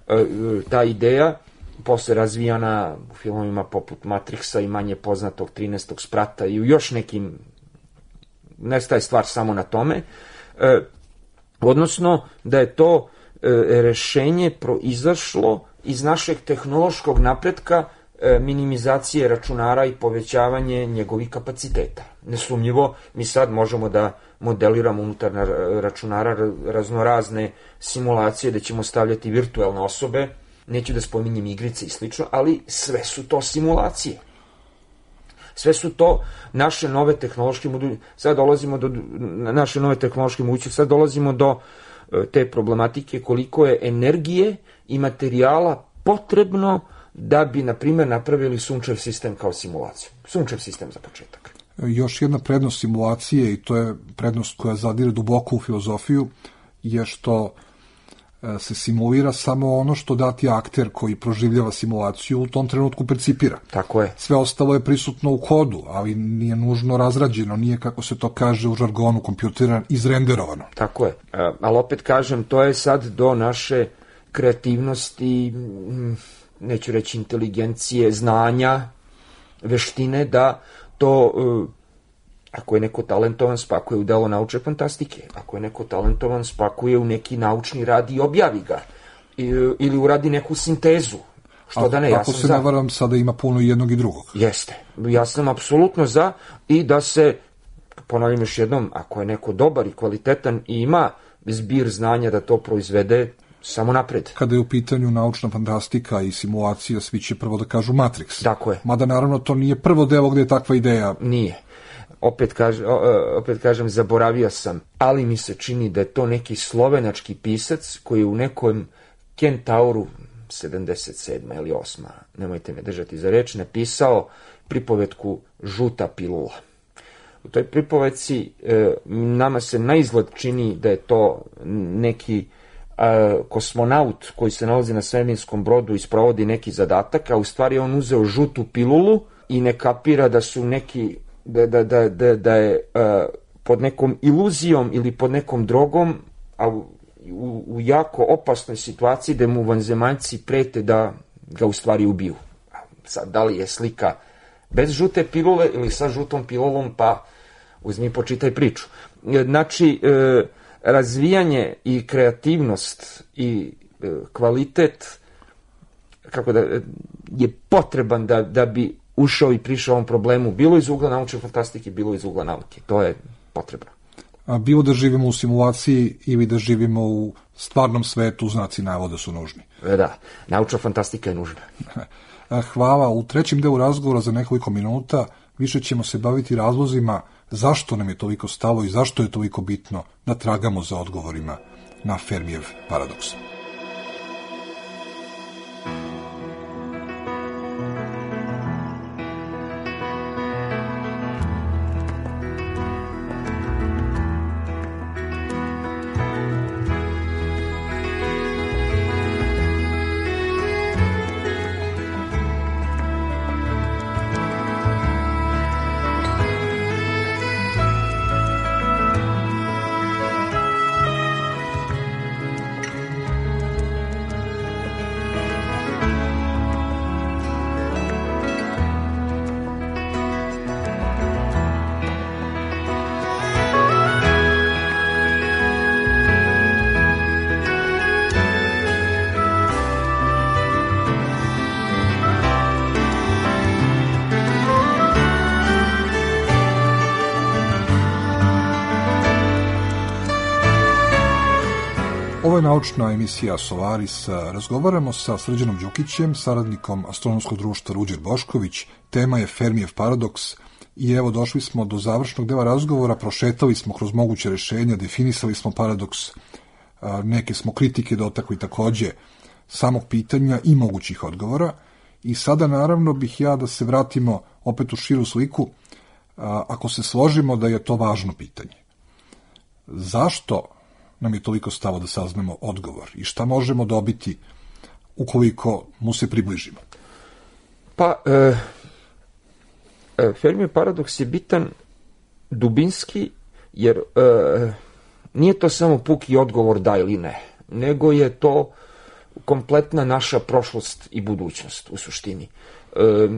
E, ta ideja posle razvijana u filmovima poput Matrixa i manje poznatog trinaestog sprata i u još nekim, ne staje stvar samo na tome, e, odnosno da je to rešenje proizašlo iz našeg tehnološkog napretka, minimizacije računara i povećavanje njegovih kapaciteta. Nesumnjivo, mi sad možemo da modeliramo unutar računara raznorazne simulacije da ćemo stavljati virtualne osobe, neću da spominjem igrice i slično, ali sve su to simulacije. Sve su to naše nove tehnološke mogućnosti. Sad dolazimo do naše nove tehnološke mogućnosti, sad dolazimo do te problematike koliko je energije i materijala potrebno da bi, na primjer, napravili sunčev sistem kao simulaciju. Sunčev sistem za početak. Još jedna prednost simulacije, i to je prednost koja zadire duboko u filozofiju, je što se simulira samo ono što dati akter koji proživljava simulaciju u tom trenutku percipira. Tako je. Sve ostalo je prisutno u kodu, ali nije nužno razrađeno, nije, kako se to kaže u žargonu kompjutera, izrenderovano. Tako je. Ali opet kažem, to je sad do naše kreativnosti, neću reći inteligencije, znanja, veštine, da to, ako je neko talentovan, spakuje u delo naučne fantastike. Ako je neko talentovan, spakuje u neki naučni rad i objavi ga. I, ili uradi neku sintezu. Što da ne, ja ako sam se za. ne varam, sada ima puno jednog i drugog. Jeste. Ja sam apsolutno za i da se, ponavljam još jednom, ako je neko dobar i kvalitetan i ima zbir znanja da to proizvede, samo napred. Kada je u pitanju naučna fantastika i simulacija, svi će prvo da kažu Matrix. Tako je. Mada naravno to nije prvo delo gde je takva ideja. Nije. Opet, kaž, opet kažem, zaboravio sam, ali mi se čini da je to neki slovenački pisac koji u nekom Kentauru, sedamdeset sedma ili osma, nemojte me držati za reč, napisao pripovetku Žuta pilula. U toj pripovetci e, nama se naizgled čini da je to neki e, kosmonaut koji se nalazi na svemirskom brodu i sprovodi neki zadatak, a u stvari on uzeo žutu pilulu i ne kapira da su neki, da, da, da, da, da je e, pod nekom iluzijom ili pod nekom drogom, a u, u, u jako opasnoj situaciji da mu vanzemaljci prete da ga u stvari ubiju. Sad, da li je slika bez žute pilule ili sa žutom pilulom, pa uzmi počitaj priču. Znači, e, razvijanje i kreativnost i e, kvalitet kako da, je potreban da, da bi ušao i prišao ovom problemu, bilo iz ugla naučne fantastike, bilo iz ugla nauke. To je potrebno. A bilo da živimo u simulaciji ili da živimo u stvarnom svetu, znaci navoda su nužni. Da, naučna fantastika je nužna. Hvala. U trećem delu razgovora za nekoliko minuta više ćemo se baviti razlozima zašto nam je toliko stalo i zašto je toliko bitno da tragamo za odgovorima na Fermijev paradoks. Ovo je naučna emisija Solaris. Razgovaramo sa Srđanom Đukićem, saradnikom Astronomskog društva Ruđer Bošković. Tema je Fermijev paradoks i evo došli smo do završnog dela razgovora, prošetali smo kroz moguće rešenja, definisali smo paradoks, neke smo kritike dotakli takođe samog pitanja i mogućih odgovora. I sada naravno bih ja da se vratimo opet u širu sliku, ako se složimo da je to važno pitanje. Zašto nam je toliko stalo da saznamo odgovor i šta možemo dobiti ukoliko mu se približimo? Pa, e, e, Fermijev paradoks je bitan dubinski, jer e, nije to samo puki odgovor da ili ne, nego je to kompletna naša prošlost i budućnost u suštini. E,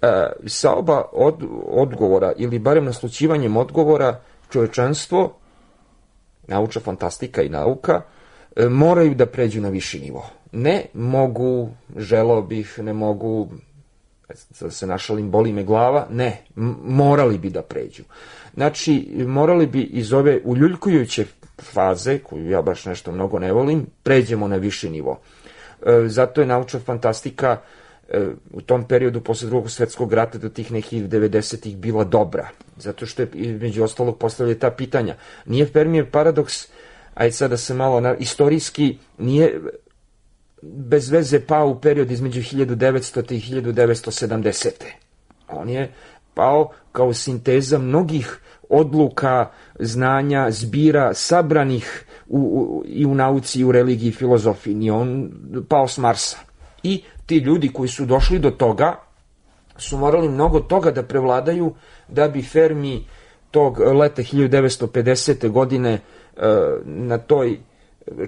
e, sa oba od, odgovora, ili barem naslućivanjem odgovora, čovečanstvo, naučna fantastika i nauka, e, moraju da pređu na viši nivo. Ne mogu, želeo bih, ne mogu, da se našalim, boli me glava, ne, morali bi da pređu. Znači, morali bi iz ove uljuljkujuće faze, koju ja baš nešto mnogo ne volim, pređemo na viši nivo. E, zato je naučna fantastika e, u tom periodu posle drugog svetskog rata do tih nekih devedesetih bila dobra. Zato što je među ostalog postavljaju ta pitanja. Nije Fermijev paradoks, ajde sad da se malo na, istorijski, nije bez veze pao u period između hiljadu devetsto. i hiljadu devetsto sedamdesete. On je pao kao sinteza mnogih odluka, znanja, zbira, sabranih u, u, i u nauci, i u religiji, i filozofiji. Nije on pao s Marsa. I ti ljudi koji su došli do toga su morali mnogo toga da prevladaju da bi Fermi tog leta hiljadu devetsto pedesete. godine na toj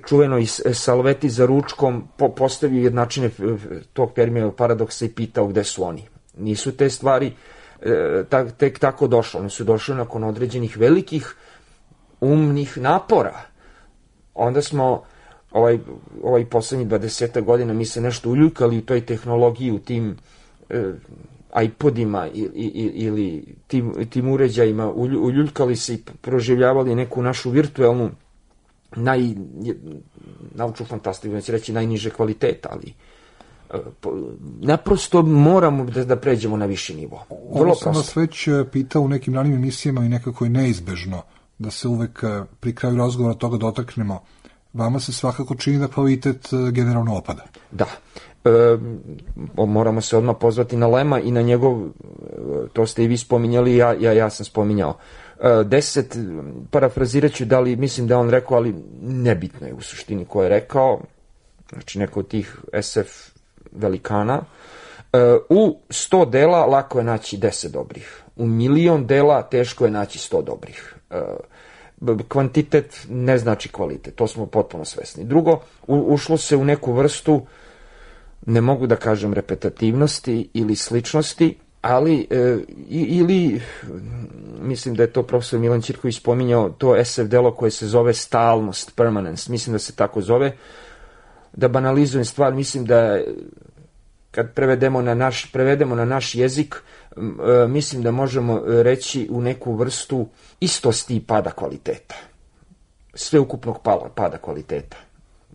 čuvenoj salveti za ručkom postavio jednačine tog Fermijevog paradoksa i pitao gde su oni. Nisu te stvari tek tako došle, one su došle nakon određenih velikih umnih napora. Onda smo ovaj, ovaj poslednjih dvadeset godina mi se nešto uljuljkali u toj tehnologiji, u tim e, iPodima ili, ili tim, tim uređajima, uljuljkali se i proživljavali neku našu virtuelnu naj, naučnu fantastiku, neće reći najniže kvaliteta, ali naprosto moramo da, da pređemo na viši nivo. Ovo sam vas već pitao u nekim ranim emisijama i nekako je neizbežno da se uvek pri kraju razgovora toga dotaknemo. vama se svakako čini da kvalitet generalno opada. Da. E, moramo se odmah pozvati na Lema i na njegov, to ste i vi spominjali, ja, ja, ja sam spominjao. E, deset, parafrazirat ću da li mislim da on rekao, ali nebitno je u suštini ko je rekao, znači neko od tih es ef velikana. E, u sto dela lako je naći deset dobrih. U milion dela teško je naći sto dobrih. E, kvantitet ne znači kvalitet, to smo potpuno svesni. Drugo, u, ušlo se u neku vrstu, ne mogu da kažem repetativnosti ili sličnosti, ali e, ili, mislim da je to profesor Milan Ćirković spominjao, to es ef delo koje se zove stalnost, permanence, mislim da se tako zove. Da banalizujem stvar, mislim da kad prevedemo na naš, prevedemo na naš jezik, e, mislim da možemo reći u neku vrstu istosti i pada kvaliteta. Sveukupnog pada, pada kvaliteta.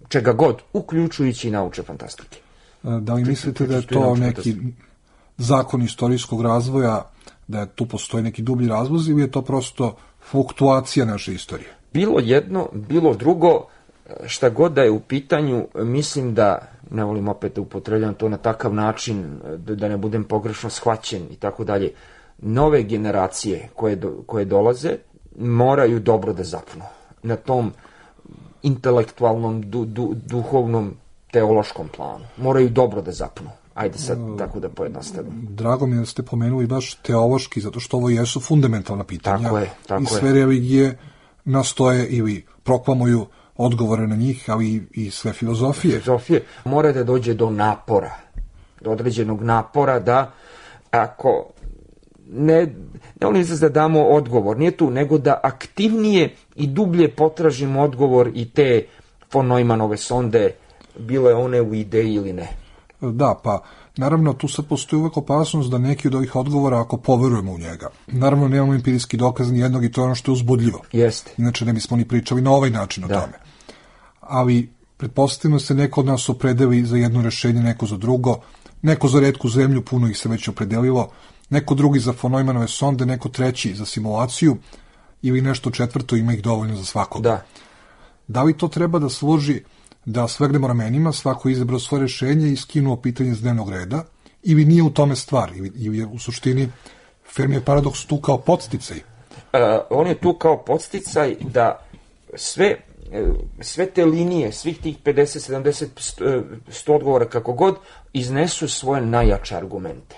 Čega god, uključujući i naučne fantastike. Da li mislite da je to neki zakon istorijskog razvoja, da tu postoji neki dublji razlozi ili je to prosto fluktuacija naše istorije? Bilo jedno, bilo drugo, šta god da je u pitanju, mislim da, ne volim opet da upotrebljam to na takav način, da ne budem pogrešno shvaćen i tako dalje, nove generacije koje, do, koje dolaze moraju dobro da zapnu na tom intelektualnom, du, du, duhovnom, teološkom planu. Moraju dobro da zapnu. Ajde sad tako da pojednostavim. Drago mi je da ste pomenuli baš teološki, zato što ovo jesu fundamentalna pitanja. Tako je, tako i sve je. Religije nastoje ili proklamuju odgovore na njih, ali i sve filozofije. Filozofije. Mora da dođe do napora, do određenog napora da ako ne, ne volim da damo odgovor, nije tu, nego da aktivnije i dublje potražimo odgovor i te von Neumannove sonde, bile one u ideji ili ne. Da, pa naravno tu sad postoji uvek opasnost da neki od ovih odgovora, ako poverujemo u njega, naravno nemamo empirijski dokaz ni jednog i to je ono što je uzbudljivo. Jeste. Inače ne bismo ni pričali na ovaj način o da. tome. Ali pretpostavimo se neko od nas opredeli za jedno rešenje, neko za drugo, neko za retku zemlju, puno ih se već opredelilo, neko drugi za von Neumannove sonde, neko treći za simulaciju ili nešto četvrto, ima ih dovoljno za svakog. Da. Da li to treba da služi da svegnemo ramenima, svako izabrao svoje rešenje i skinuo pitanje s dnevnog reda, ili nije u tome stvar, ili, ili je u suštini Fermijev paradoks tu kao podsticaj? Uh, on je tu kao podsticaj da sve, sve te linije, svih tih pedeset, sedamdeset, sto odgovora, kako god, iznesu svoje najjače argumente.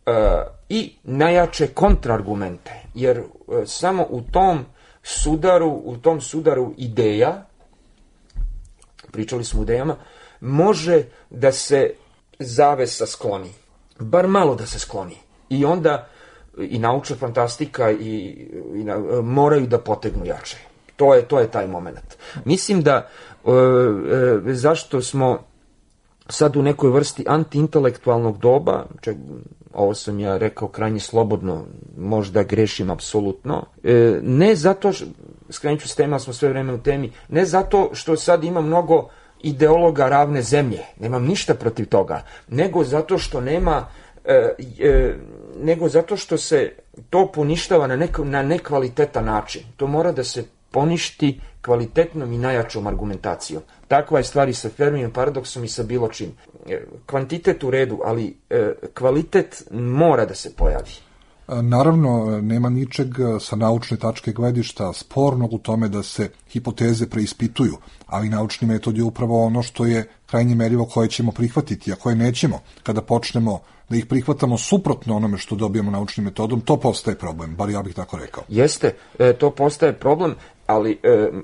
Uh, I najjače kontraargumente, jer uh, samo u tom sudaru, u tom sudaru ideja, pričali smo o idejama, može da se zavesa skloni. Bar malo da se skloni. I onda i naučna fantastika i, i na, moraju da potegnu jače. To je, to je taj moment. Mislim da e, e, zašto smo sad u nekoj vrsti antiintelektualnog doba, čak, ovo sam ja rekao krajnje slobodno, možda grešim apsolutno, e, ne zato, skrenut ću s tema, smo sve vreme u temi, ne zato što sad ima mnogo ideologa ravne zemlje, nemam ništa protiv toga, nego zato što nema, e, e, nego zato što se to poništava na, nek, na nekvalitetan način. To mora da se poništi kvalitetnom i najjačom argumentacijom. Takva je stvar i sa Fermijevim paradoksom i sa bilo čim. Kvantitet u redu, ali kvalitet mora da se pojavi. Naravno, nema ničeg sa naučne tačke gledišta spornog u tome da se hipoteze preispituju, ali naučni metod je upravo ono što je krajnje merivo koje ćemo prihvatiti, a koje nećemo. Kada počnemo da ih prihvatamo suprotno onome što dobijemo naučnim metodom, to postaje problem, bar ja bih tako rekao. Jeste, e, to postaje problem, ali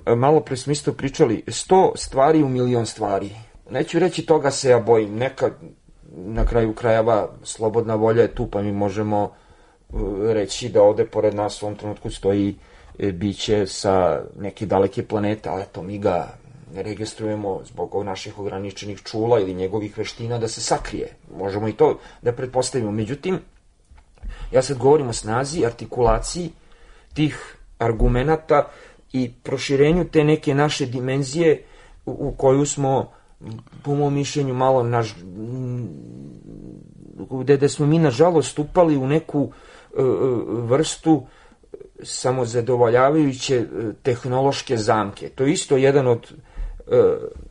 e, malo pre smo isto pričali, sto stvari u milion stvari. Neću reći toga se ja bojim, neka na kraju krajeva slobodna volja je tu, pa mi možemo reći da ovde pored nas u ovom trenutku stoji biće sa neke daleke planete, ali eto mi ga ne registrujemo zbog naših ograničenih čula ili njegovih veština da se sakrije. Možemo i to da pretpostavimo. Međutim, ja sad govorim o snazi, artikulaciji tih argumenata i proširenju te neke naše dimenzije u, u koju smo, po mom mišljenju, malo naž... gde, gde smo mi nažalost upali u neku vrstu samozadovoljavajuće tehnološke zamke. To je isto jedan od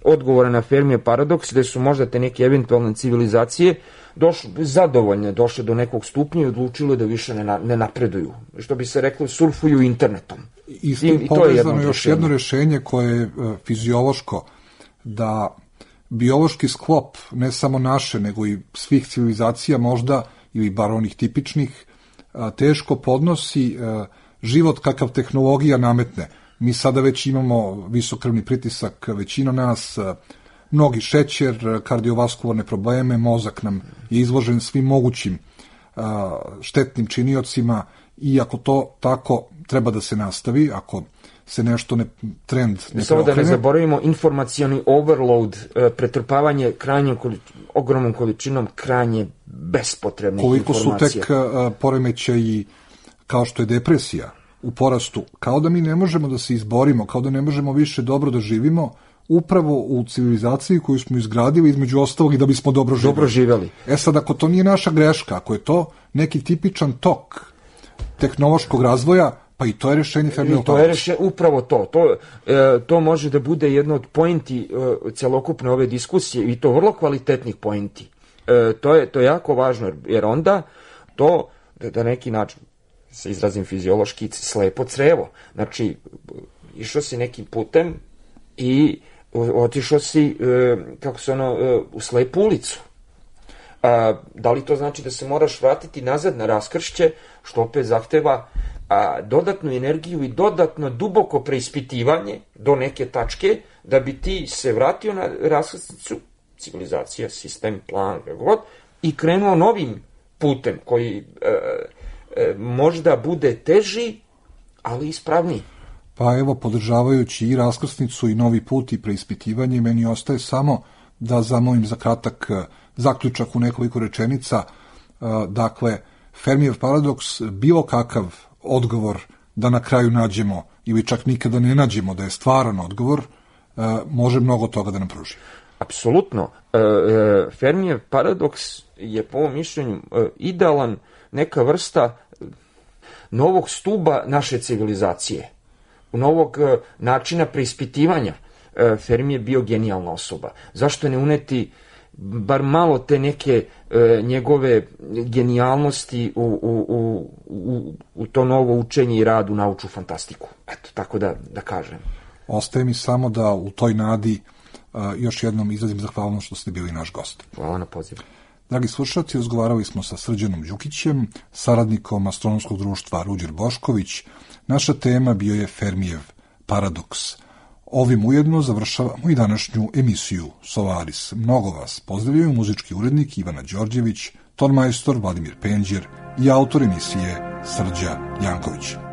odgovora na Fermijev paradoks, gde su možda te neke eventualne civilizacije došle, zadovoljne, došle do nekog stupnja i odlučile da više ne, na, ne napreduju. Što bi se reklo, surfuju internetom. I s tim povezano još jedno rešenje koje je fiziološko, da biološki sklop, ne samo naše, nego i svih civilizacija možda, ili bar onih tipičnih, teško podnosi život kakav tehnologija nametne. Mi sada već imamo visokrvni pritisak, većina nas, mnogi šećer, kardiovaskularne probleme, mozak nam je izložen svim mogućim štetnim činiocima i ako to tako treba da se nastavi, ako se nešto ne, trend ne preokrene. Samo da ne zaboravimo informacioni overload, pretrpavanje krajnjom ogromnom količinom krajnje bespotrebnih koliko informacija. Koliko su tek uh, poremećaji kao što je depresija u porastu, kao da mi ne možemo da se izborimo, kao da ne možemo više dobro da živimo, upravo u civilizaciji koju smo izgradili između ostalog i da bismo dobro živjeli. Dobro živjeli. E sad, ako to nije naša greška, ako je to neki tipičan tok tehnološkog razvoja, pa i to je rešenje Fermijevog to je reše, upravo to. To, e, to može da bude jedno od pointi e, celokupne ove diskusije i to vrlo kvalitetnih pointi. E, to, je, to je jako važno, jer onda to, da, da neki način se izrazim fiziološki, slepo crevo. Znači, išao si nekim putem i otišao si, e, kako se ono, e, u slepu ulicu. A, da li to znači da se moraš vratiti nazad na raskršće, što opet zahteva a, dodatnu energiju i dodatno duboko preispitivanje do neke tačke, da bi ti se vratio na raskrsnicu, civilizacija, sistem, plan, god, i krenuo novim putem koji e, e, možda bude teži, ali ispravniji. Pa evo, podržavajući i raskrsnicu i novi put i preispitivanje, meni ostaje samo da zamolim za kratak zaključak u nekoliko rečenica. Dakle, Fermijev paradoks, bilo kakav odgovor da na kraju nađemo ili čak nikada ne nađemo da je stvaran odgovor, može mnogo toga da nam pruži. Apsolutno. Fermijev paradoks je po mom mišljenju idealan neka vrsta novog stuba naše civilizacije, novog načina preispitivanja. Fermi je bio genijalna osoba. Zašto ne uneti bar malo te neke e, njegove genijalnosti u, u, u, u, u to novo učenje i rad u naučnu fantastiku? Eto, tako da, da kažem. Ostaje mi samo da u toj nadi uh, još jednom izrazim zahvalnost što ste bili naš gost. Hvala na pozivu. Dragi slušalci, razgovarali smo sa Srđanom Đukićem, saradnikom Astronomskog društva Ruđer Bošković. Naša tema bio je Fermijev paradoks. Ovim ujedno završavamo i današnju emisiju Solaris. Mnogo vas pozdravljaju muzički urednik Ivana Đorđević, tonmajstor Vladimir Penđer i autor emisije Srđa Janković.